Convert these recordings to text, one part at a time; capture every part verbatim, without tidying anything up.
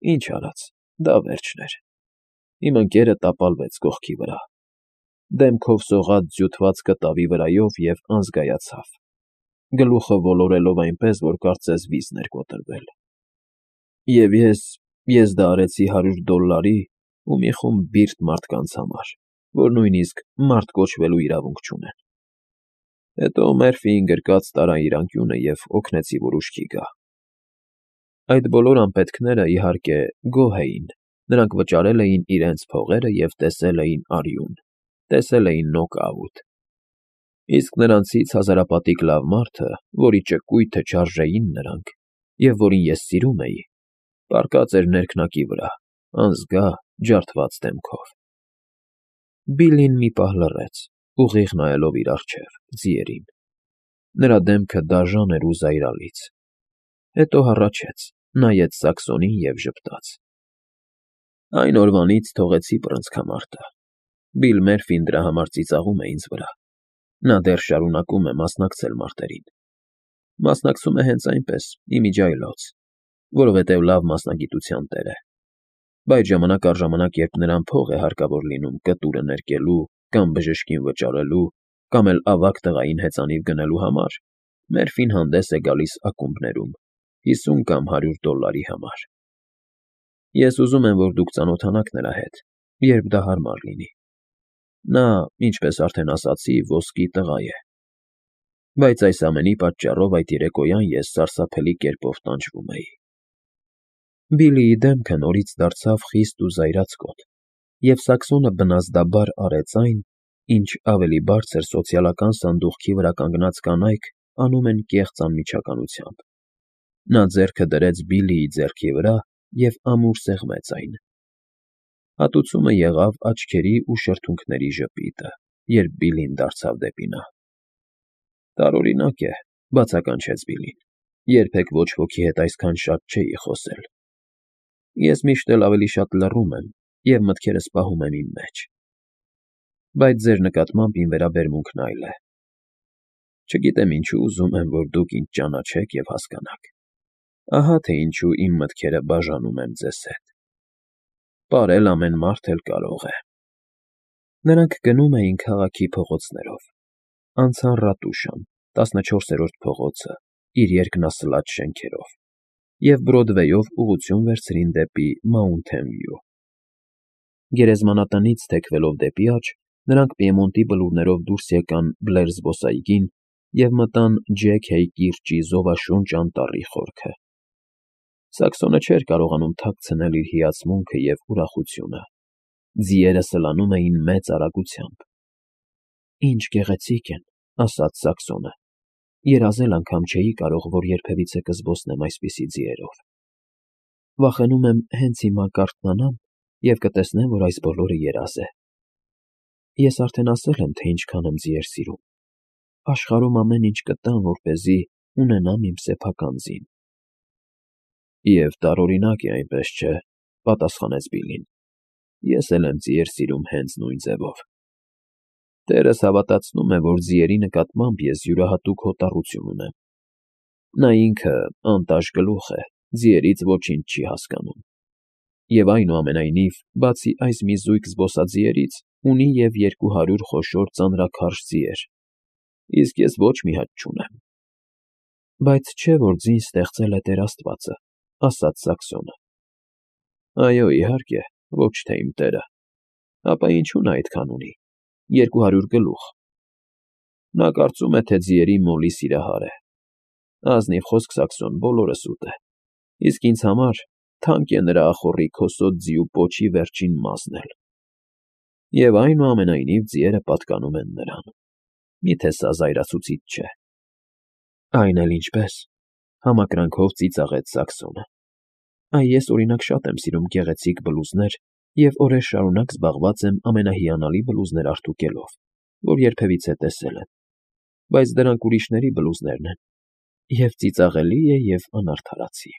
Ինչ արած, դա վերջն էր։ Իմ ընկերը տապալվեց կողքի վրա, դեմքով սողաց ձյուտված կտավի վրայով և անզգայացավ, գլուխը ոլորելով այնպես, որ կարծես վիզն էր կոտրվել։ Եվ ես, ես դա արեցի հարյուր դոլլարի ու մի խումբ բիրտ մարդկանց համար, որ նույնիսկ մարդ կոչվելու իրավունք չունեն։ Հետո Մերֆիին գրկած տարա իր անկյունը և օգնեցի, որ ուշքի գա։ Այդ բոլոր անպետքները, իհարկե, գոհ էին, նրանք վճարել էին իրենց փողերը և տեսել էին արյուն, տեսել էին նոկաուտ։ Իսկ նրանցից հազարապատիկ լավ մարդը, որի ճկույթը չարժեին նրանք, և որին ես սիրում էի, պառկած էր ներքնակի վրա, անզգա, ջարդված դեմքով։ Բիլլին մի պահ լռեց, ուղիղ նայելով իր առջև, ձիերին։ Նրա դեմքը դաժան էր ու զայրալից։ Հետո հառաչեց, նայեց Սաքսոնին և ժպտաց։ Այն օրվանից թողեցի բռնցքամարտը։ Բիլ Մերֆին դրա համար ծիծաղում է ինձ վրա։ Նա դեռ շարունակում է մասնակցել մարտերին։ Մասնակցում է հենց այնպես, իմիջիայլոց, որովհետև լավ մասնագիտության տեր է։ Բայց ժամանակ առ ժամանակ, երբ նրան փող է հարկավոր լինում կտուրը ներկելու կամ բժշկին վճարելու, կամ էլ ավագ տղային հեծանիվ գնելու համար, Մերֆին հանդես է գալիս ակումբներում հիսուն կամ հարյուր դոլլարի համար։ Ես ուզում եմ, որ դուք ծանոթանաք նրա հետ, երբ դա հարմար լինի։ Նա, ինչպես արդեն ասացի, ոսկի տղա է։ Բայց այս ամենի պատճառով այդ երեկոյան ես սարսափելի կերպով տանջվում էի։ Բիլիի դեմքը նորից դարձավ խիստ ու զայրացկոտ, և Սաքսոնը բնազդաբար արեց այն, ինչ ավելի բարձր սոցիալական սանդուղքի վրա կանգնած կանայք անում են կեղծ անմիջականությամբ։ Նա ձեռքը դրեց Բիլիի ձեռքի վրա և ամուր սեղմեց այն։ Հատուցումը եղավ աչքերի ու շրթունքների ժպիտը, երբ Բիլին դարձավ դեպի նա։ Տարօրինակ է, բացականչեց Բիլին, երբեք ոչ ոքի հետ այսքան շատ չէի խոսել։ Ես միշտ էլ ավելի շատ լռում եմ և մտքերս պահում եմ իմ մեջ։ Բայց ձեր նկատմամբ իմ վերաբերմունքն այլ է։ Չգիտեմ ինչու ուզում եմ, որ դուք ինձ ճանաչեք և հասկանաք։ Ահա թե ինչու իմ մտքերը բաժանում եմ ձեզ հետ։ Պարել ամեն մարդ էլ կարող է։ Նրանք գնում էին քաղաքի փողոցներով, անցան Ռատուշան, տասնչորսերորդ փողոցը, իր երկնասլաց շենքերով, և Բրոդվեյով ուղղություն վերցրին դեպի Մաունթեն Վյու։ Գերեզմանատնից թեքվելով դեպի աջ, նրանք Պիեմոնտի բլուրներով դուրս եկան Բլեր զբոսայգին և մտան Ջեք Հեյ կիրճի զովաշունչ անտառի խորքը։ Սաքսոնը չէր կարողանում թաքցնել իր հիացմունքը և ուրախությունը։ Ձիերը սլանում էին մեծ արագությամբ։ Ինչ գեղեցիկ են, ասաց Սաքսոնը։ Երազել անգամ չէի կարող, որ երբևիցե կզբոսնեմ այսպիսի ձիերով։ Վախենում եմ հենց հիմա կարթնանամ և կտեսնեմ, որ այս բոլորը երազ է։ Ես արդեն ասել եմ, թե ինչքան եմ ձիեր սիրում։ Աշխարհում ամեն ինչ կտամ, որպեսզի ունենամ իմ սեփական ձին։ Եվ տարօրինակ է, այնպես չէ, պատասխանեց Բիլին։ Ես էլ եմ ձիեր սիրում հենց նույն ձևով։ Տերս հավատացնում է, որ ձիերի նկատմամբ ես յուրահատուկ հոտառություն ունեմ։ Նա ինքը անտաշ գլուխ է, ձիերից ոչինչ չի հասկանում։ Եվ այնուամենայնիվ, բացի այս մի զույգ զբոսաձիերից, ունի և երկու հարյուր խոշոր ծանրաքարշ ձիեր, իսկ ես ոչ մի հատ չունեմ։ Բայց չէ՞ որ ձին ստեղծել է Տեր Աստվածը, ասաց Սաքսոնը։ Այո, իհարկե, ոչ թե իմ տերը։ Ապա ինչու նա այդքան ունի։ Երկու հարյուր գլուխ։ Նա կարծում է, թե ձիերի մոլի սիրահար է։ Ազնիվ խոսք, Սաքսոն, բոլորը սուտ է։ Իսկ ինձ համար թանկ է նրա ախոռի քոսոտ ձիու պոչի վերջին մազն էլ։ Եվ այնուամենայնիվ ձիերը պատկանում են նրան։ Մի՞թե սա զայրացուցիչ չէ։ Այն էլ ինչպես, համակրանքով ծիծաղեց Սաքսոնը։ Այ ես, օրինակ, շատ եմ սիրում գեղեցիկ բլուզներ և օրեր շարունակ զբաղված եմ ամենահիանալի բլուզներ արտուկելով, որ երբևիցե տեսել եմ։ Բայց դրանք ուրիշների բլուզներն են, և ծիծաղելի է, և անարդարացի։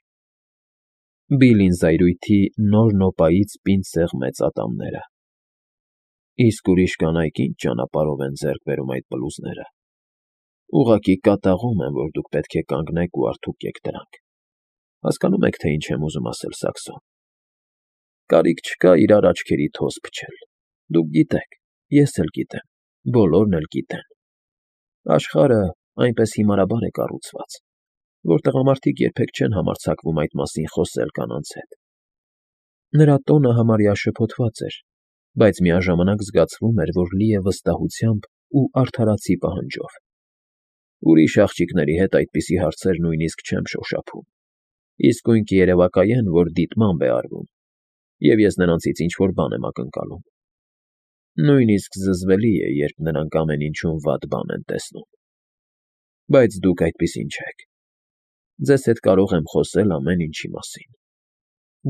Բիլին զայրույթի նոր նոպայից պինդ սեղմեց ատամները։ Իսկ ուրիշ կանայք ինչ ճանապարհով են ձեռք բերում այդ բլուզները։ Ուղղակի կատաղում եմ, որ դուք պետք է կանգնեք ու արդուկեք դրանք։ Հասկանո՞ւմ եք, թե ինչ եմ ուզում ասել, Սաքսոն։ Կարիք չկա իրար աչքերի թոզ փչել։ Դուք գիտեք, ես էլ գիտեմ, բոլորն էլ գիտեն. աշխարհը այնպես հիմարաբար է կառուցված, որ տղամարդիկ երբեք չեն համարձակվում այդ մասին խոսել կանանց հետ։ Նրա տոնը համարյա շփոթված էր, բայց միաժամանակ զգացվում էր, որ լի է վստահությամբ ու արդարացի պահանջով։ Ուրիշ աղջիկների հետ այդպիսի հարցեր նույնիսկ չեմ շոշափում, իսկույն կերևակայեն, որ դիտմամբ է արվում, և ես նրանցից ինչ-որ բան եմ ակնկալում։ Նույնիսկ զզվելի է, երբ նրանք ամեն ինչում վատ բան են տեսնում։ Բայց դուք այդպիսին չեք։ Ձեզ հետ կարող եմ խոսել ամեն ինչի մասին։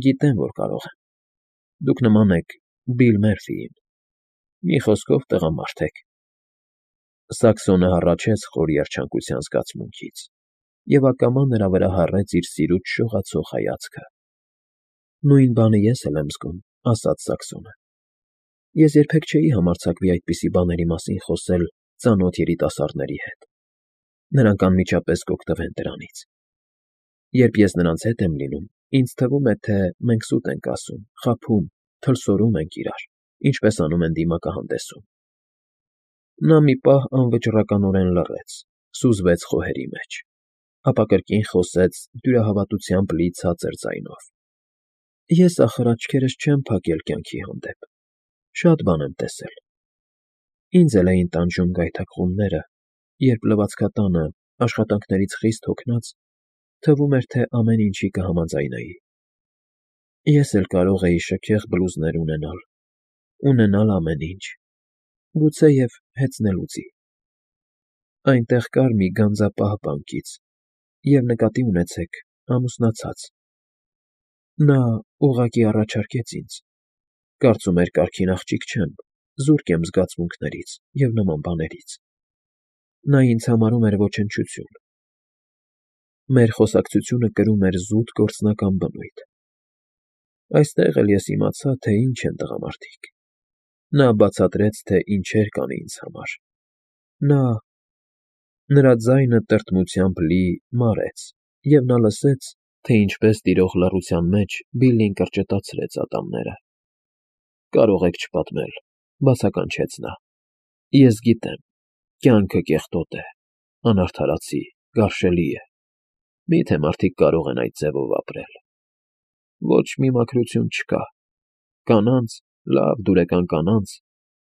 Գիտեմ, որ կարող եմ։ Դուք նման եք Բիլ Մերֆիին։ Մի խոսքով տղամարդ եք։ Սաքսոնը հառաչեց խոր երջանկության զգացմունքից, և ակամա նրա վրա հառեց իր սիրուց շողացող հայացքը։ Նույն բանը ես էլ եմ զգում, ասաց Սաքսոնը։ Ես երբեք չէի համարձակվի այդպիսի բաների մասին խոսել ծանոթ երիտասարդների հետ։ Նրանք անմիջապես կօգտվեն դրանից։ Երբ ես նրանց հետ եմ լինում, ինձ թվում է, թե մենք սուտ ենք ասում, խաբում, թլսորում ենք իրար, ինչպես անում են դիմակահանդեսում։ Նա մի պահ անվճռականորեն լռեց, սուզվեց խոհերի մեջ, ապա կրկին խոսեց դյուրահավատությամբ լի ցածր ձայնով. Ես, ախր, աչքերս չեմ փակել կյանքի հանդեպ, շատ բան եմ տեսել։ Ինձ էլ էին տանջում գայթակղումները, երբ լվացքատանը, աշխատանքներից խիստ հոգնած, թվում էր, թե ամեն ինչի կհամաձայնեի։ Ես էլ կարող էի շքեղ բլուզներ ունենալ, ունենալ ամեն ինչ, գուցեև հեծնելուձի։ Այնտեղ կար մի գանձապահ բանկից, և նկատի ունեցեք, ամուսնացած։ Նա ուղղակի առաջարկեց ինձ, կարծում էր կարգին աղջիկ չեմ, զուրկ եմ զգացմունքներից և նման բաներից։ Նա ինձ համարում էր ոչնչություն։ Մեր խոսակցությունը կրում էր զուտ գործնական բնույթ։ Այստեղ էլ ես իմացա, թե ինչ են տղամարդիկ։ Նա բացատրեց, թե ինչեր կանի ինձ համար։ Նա… Նրա ձայնը տրտմությամբ լի մարեց, և նա լսեց, թե ինչպես տիրող լռության մեջ Բիլլին կրճտացրեց ատամները։ Կարող եք չպատմել, բացականչեց նա։ Ես գիտեմ, կյանքը կեղտոտ է, անարդարացի, գարշելի է։ Մի՞թե մարդիկ կարող են այդ ձևով ապրել։ Ոչ մի մաքրություն չկա։ Կանանց, լավ դուրեկան կանանց,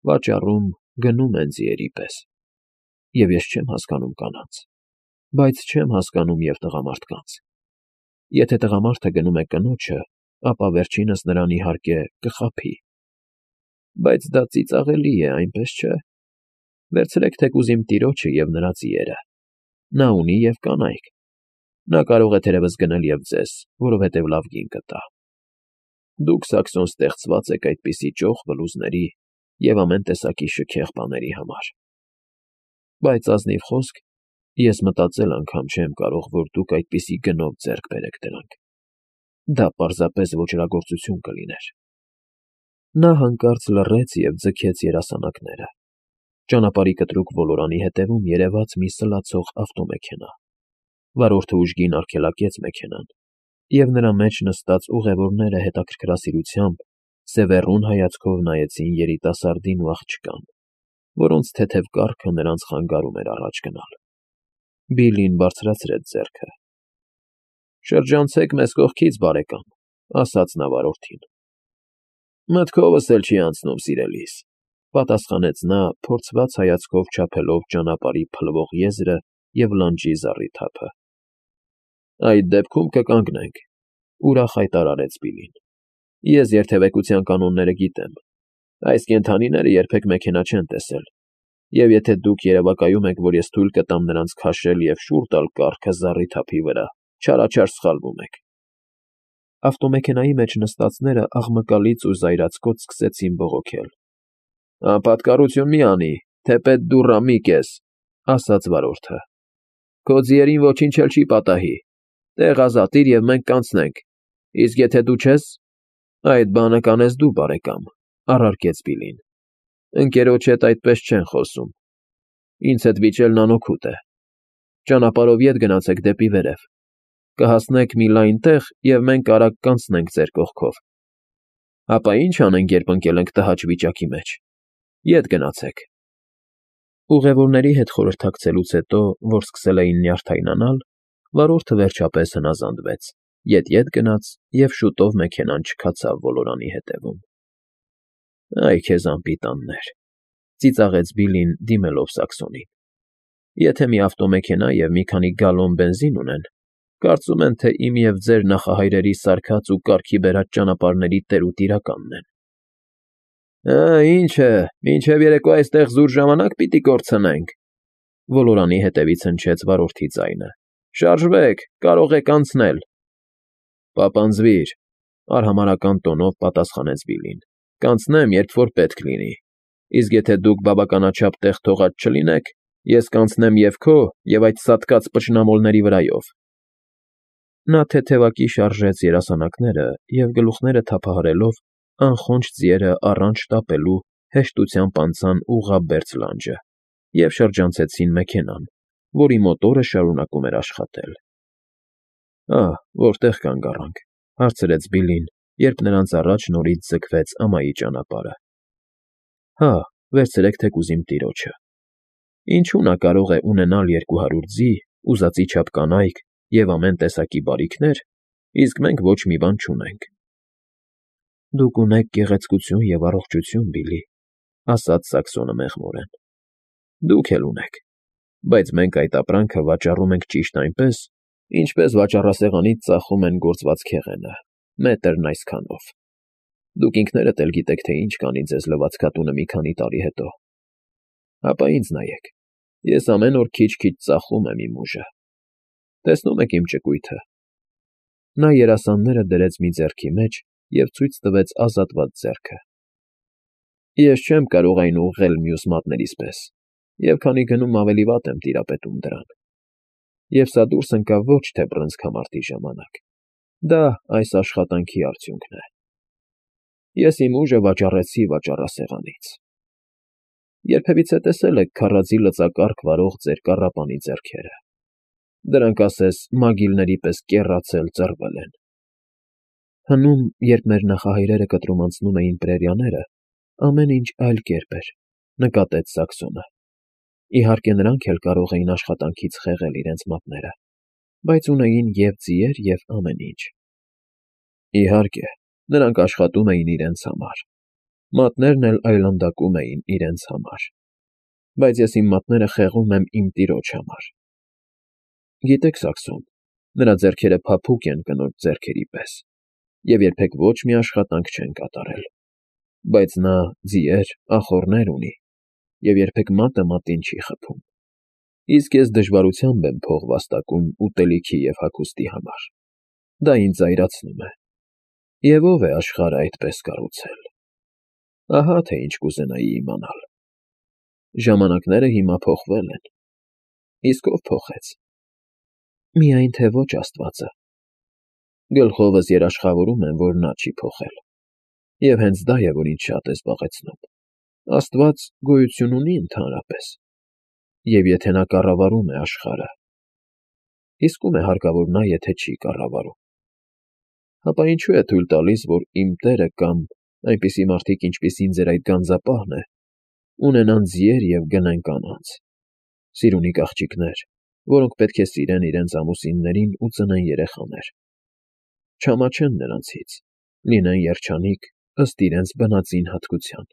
վաճառում, գնում են ձիերի պես։ Եվ ես չեմ հասկանում կանանց, բայց չեմ հասկանում և տղամարդկանց։ Եթե տղամարդը գնում է կնոջը, ապա վերջինս նրան, իհարկե, կխաբի։ Բայց դա ծիծաղելի է, այնպես չէ։ Վերցրեք թեկուզ իմ տիրոջը և նրա ձիերը։ Նա ունի և կանայք։ Նա կարող է թերևս գնել և ձեզ, որովհետև լավ գին կտա։ Դուք, Սաքսոն, ստեղծված եք այդպիսի ճոխ բլուզների և ամեն տեսակի շքեղ բաների համար։ Բայց ազնիվ խոսք, ես մտածել անգամ չեմ կարող, որ դուք այդպիսի գնով ձեռք բերեք դրանք։ Դա պարզապես ոճրագործություն կլիներ։ Նա հանկարծ լռեց և ձգեց երասանակները։ Ճանապարհի կտրուկ ոլորանի ետևում երևաց մի սլացող ավտոմեքենա։ Վարորդը ուժգին արգելակեց մեքենան, և նրա մեջ նստած ուղևորները հետաքրքրասիրությամբ, սևեռուն հայացքով նայեցին երիտասարդին ու աղջկան, որոնց թեթև կառքը նրանց խանգարում էր առաջ գնալ։ Բիլլին բարձրացրեց ձեռքը։ Շրջանցեք մեզ կողքից, բարեկամ, ասաց նա վարորդին։ Մտքովս էլ չի անցնում, սիրելիս, պատասխանեց նա, փորձված հայացքով չափելով ճանապարհի փլվող եզրը և լանջի զառիթափը։ Այդ դեպքում կկանգնենք, ուրախ հայտարարեց Բիլլին։ Ես երթևեկության կանոնները գիտեմ։ Այս կենդանիները երբեք մեքենա չեն տեսել, և եթե դուք երևակայում եք, որ ես թույլ կտամ նրանց քաշել և շուռ տալ կառքը զառիթափի վրա, չարաչար սխալվում եք։ Ավտոմեքենայի մեջ նստածները աղմկալից ու զայրացկոտ սկսեցին բողոքել։ Անպատկառություն մի անի, թեպետ դու ռամիկ ես, ասաց վարորդը։ Քո ձիերին ոչինչ էլ չի պատահի։ Տեղ ազատիր, և մենք կանցնենք, իսկ եթե դու չես… Այդ բանը կանես դու, բարեկամ, առարկեց Բիլլին։ Ընկերոջ հետ այդպես չեն խոսում։ Ինձ հետ վիճելն անօգուտ է։ Ճանապարհով ետ գնացեք դեպի վերև։ Կհասնեք մի լայն տեղ, և մենք արագ կանցնենք ձեր կողքով։ Ապա ի՞նչ անենք, երբ ընկել ենք տհաճ վիճակի մեջ։ Ետ գնացեք։ Ուղևորների հետ խորհրդակցելուց հետո, որ սկսել էին նյարդայնանալ, վարորդը վերջապես հնազանդվեց, ետ֊ետ գնաց և շուտով մեքենան չքացավ ոլորանի ետևում։ Այ քեզ անպիտաններ,֊ ծիծաղեց Բիլլին, դիմելով Սաքսոնին։ Եթե մի ավտոմեքենա և մի քանի գալոն բենզին ունեն, կարծում են, թե իմ և ձեր նախահայրերի սարքած ու կարգի բերած ճանապարհների տեր ու տիրականն են։ Ա, ինչ է, մինչև երեկո այստեղ զուր ժամանակ պիտի կորցնենք,֊ ոլորանի հետևից հնչեց վարորդի ձայնը։ Շարժվեք, կարող եք անցնել։ Պապանձվիր,֊ արհամարհական տոնով պատասխանեց Բիլլին։ Կանցնեմ, երբ որ պետք լինի, իսկ եթե դուք բավականաչափ տեղ թողած չլինեք, ես կանցնեմ և քո, և այդ սատկած փչնամոլների վրայով։ Նա թեթևակի շարժեց երասանակները և, գլուխները թափահարելով, անխոնջ ձիերը առանց շտապելու հեշտությամբ անցան ուղղաբերձ լանջը և շրջանցեցին մեքենան, որի մոտորը շարունակում էր աշխատել։ Ահ, որտե՞ղ կանգ առանք,֊ հարցրեց Բիլլին, երբ նրանց առաջ նորից ձգվեց ամայի ճանապարհը։ Հա, վերցրեք թեկուզ իմ տիրոջը։ Ինչու նա կարող է ունենալ երկու հարյուր ձի, ուզածի չափ կանայք և ամեն տեսակի բարիքներ, իսկ մենք ոչ մի բան չունենք։ Դուք ունեք գեղեցկություն և առողջություն, Բիլլի,֊ ասաց Սաքսոնը մեղմորեն։ Դուք էլ ունեք, բայց մենք այդ ապրանքը վաճառում ենք ճիշտ այնպես, ինչպես վաճառասեղանից ծախում են գործված քեղենը, մետրն այսքանով։ Դուք ինքներդ էլ գիտեք, թե ինչ կանի ձեզ լվացքատունը մի քանի տարի հետո։ Հապա ինձ նայեք, ես ամեն օր քիչ֊քիչ ծախում եմ իմ ուժը։ Տեսնում եք իմ ճկույթը։ Նա երասանները դրեց մի ձեռքի մեջ և ցույց տվեց ազատված ձեռքը։ Ես չեմ կարող այն ուղղել մյուս մատներիս պես, և քանի գնում ավելի վատ եմ տիրապետում դրան։ Եվ սա դուրս ընկավ ոչ թե բռնցքամարտի ժամանակ, դա այս աշխատանքի արդյունքն է։ Ես իմ ուժը վաճառեցի վաճառասեղանից։ Երբևիցե տեսե՞լ եք քարաձի լծակառք վարող ձեր կառապանի ձեռքերը։ Դրանք ասես մագիլների պես կեռացել, ծռվել են։ Հնում, երբ մեր նախահայրերը կտրում անցնում էին պրերիաները, ամեն ինչ այլ կերպ էր,֊ նկատեց Սաքսոնը։ Իհարկե, նրանք էլ կարող էին աշխատանքից խեղել իրենց մատները, բայց ունեին և ձիեր, և ամեն ինչ։ Իհարկե, նրանք աշխատում էին իրենց համար, մատներն էլ այլանդակում էին իրենց համար, բայց ես իմ մատները խեղում եմ իմ տիրոջ համար։ Գիտեք, Սաքսոն, նրա ձեռքերը փափուկ են կնոջ ձեռքերի պես և երբեք ոչ մի աշխատանք չեն կատարել, բայց նա ձիեր, ախոռներ ունի և երբեք մատը մատին չի խփում, իսկ ես դժվարությամբ եմ փող վաստակում ուտելիքի և հագուստի համար։ Դա ինձ զայրացնում է։ Եվ ո՞վ է աշխարհը այդպես կառուցել։ Ահա թե ինչ կուզենայի իմանալ։ Ժամանակները հիմա փոխվել են։ Իսկ ո՞վ փոխեց։ Միայն թե ոչ Աստվածը։ Գլխովս երաշխավորում եմ, որ նա չի փոխել։ Եվ հենց դա է, որ ինձ շատ է զբաղեցնում։ Աստված գոյություն ունի ընդհանրապես։ Եվ եթե նա կառավարում է աշխարհը, իսկ ո՞ւմ է հարկավոր նա, եթե չի կառավարում։ Հապա ինչու է թույլ տալիս, որ իմ տերը կամ այնպիսի մարդիկ, ինչպիսին ձեր այդ գանձապահն է, ունենան ձիեր և գնեն կանանց, սիրունիկ աղջիկներ, որոնք պետք է սիրեն իրենց ամուսիններին ու ծնեն երեխաներ, չամաչեն նրանցից, լինեն երջանիկ ըստ իրենց բնածին հատկության։